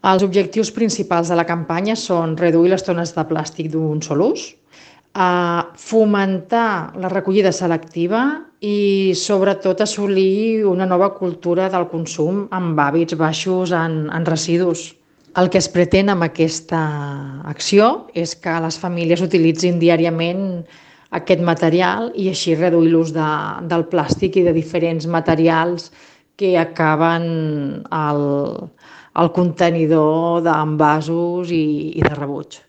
Els objectius principals de la campanya són reduir les tones de plàstic d'un sol ús, fomentar la recollida selectiva i, sobretot, assolir una nova cultura del consum amb hàbits baixos en residus. El que es pretén amb aquesta acció és que les famílies utilitzin diàriament aquest material i així reduir l'ús del plàstic i de diferents materials que acaben al contenidor d'envasos i de rebuig.